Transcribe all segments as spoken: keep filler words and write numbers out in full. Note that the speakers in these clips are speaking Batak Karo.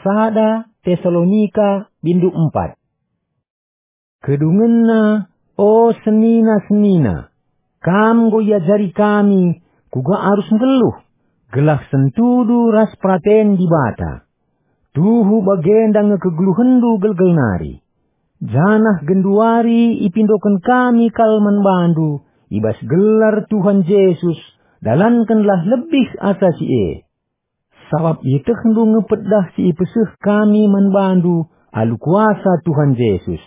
Sada Tesalonika bindu empat. Kedungenna, o senina-senina, kam enggo iajari kami kuga arus nggeluh, gelah sentudu ras peraten Dibata. Tuhu bagenda nge kegeluhenndu gelgel nari. Janah genduari ipindoken kami kal man bandu i bas gelar Tuhan Jesus, dalankenlah lebih asa si e. Sabap ietehndu nge pedah si ipeseh kami man bandu alu kuasa Tuhan Jesus.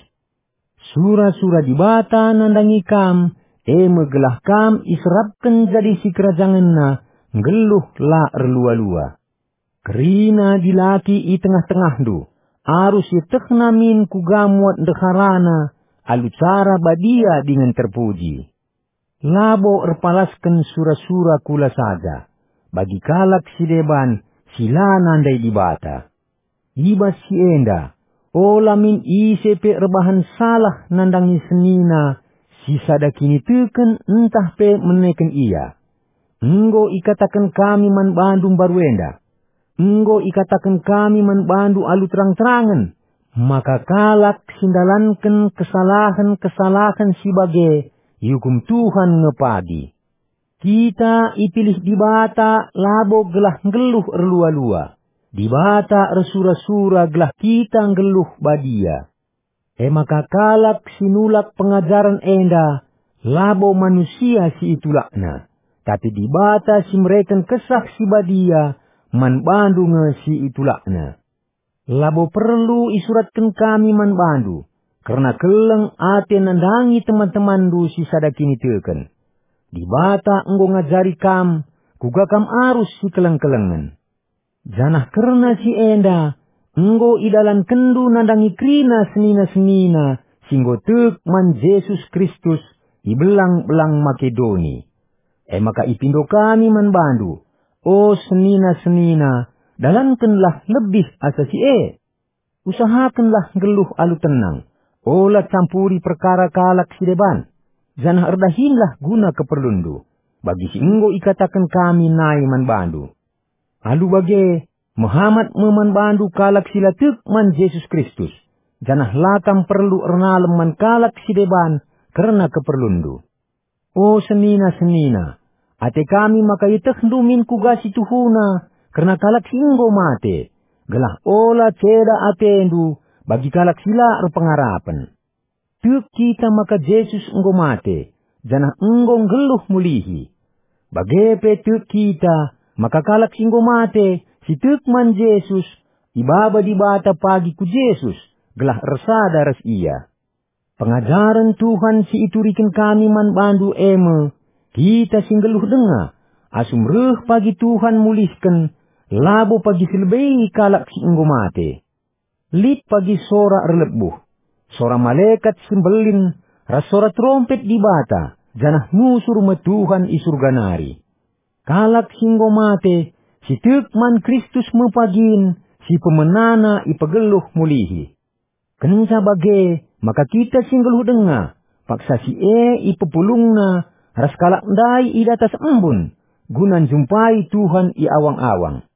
Sura-sura Dibata nandangi kam, e me gelah kam iserapken jadi sikerajangenNa, nggeluh la erlua-lua. Kerina dilaki i tengah-tengahndu, arus ietehna min kuga muat ndeharana alu cara badia dingen terpuji. Labo erpalasken sura-sura kula saja, bagi kalak si deban si la nandai Dibata. I bas si enda, ola min ise pe erbahan salah nandangi senina si sada kiniteken ntah pe meneken ia. Enggo ikataken kami man bandu mbaru enda. Enggo ikataken kami man bandu alu terang-terangen, maka kalak si ndalanken kesalahen-kesalahen si bage iukum Tuhan nge pagi. Kita ipilih Dibata labo gelah nggeluh erlua-lua. Dibata ersura-sura gelah kita nggeluh badia. E maka kalak si nulak pengajaren enda labo manusia si itulakna, tapi Dibata si mereken Kesah Si Badia man bandu nge si itulakna. Labo perlu isuratken kami man bandu kerna keleng ate nandangi teman-temanndu si sada kiniteken. Dibata enggo ngajari kam kuga kam arus sikeleng-kelengen. Janah kerna si enda, enggo idalankenndu nandangi kerina senina-senina si enggo tek man Jesus Kristus i belang-belang Makedoni. E maka ipindo kami man bandu, o senina-senina, dalankenlah lebih asa si e. Usahakenlah nggeluh alu tenang, ola campuri perkara kalak si deban, janah erdahinlah guna keperlunndu, bagi si enggo ikataken kami nai man bandu. Alu bage, mehamat me man bandu kalak si la tek man Jesus Kristus, janah la kam perlu ernalem man kalak si deban kerna keperlunndu. O senina-senina, ate kami maka ietehndu min kuga si tuhuna kerna kalak si enggo mate, gelah ola ceda atendu bagi kalak si la erpengarapen. Tek kita maka Jesus enggo mate, janah enggo nggeluh mulihi. Bage pe tek kita maka kalak si enggo mate, si tek man Jesus, ibaba Dibata pagi ku Jesus, gelah ersada ras Ia. Pengajaren Tuhan si ituriken kami man bandu e me, kita si nggeluh denga, asum reh pagi Tuhan mulihken, labo pagi si lebei kalak si enggo mate. Lit pagi sora erlebuh, sora malekat si mbelin, ras sora terompet Dibata, janah nusur me Tuhan i Surga nari. Kalak si enggo mate, si tek man Kristus me pagin, si pemenana ipegeluh mulihi. Kenca bage, maka kita si nggeluh denga, paksa si e ipepulungna ras kalak ndai i datas embun, guna njumpai Tuhan i awang-awang.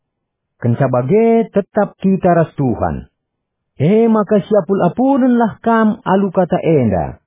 Kenca bage tetap kita ras Tuhan. E maka siapul-apunenlah kam alu kata enda.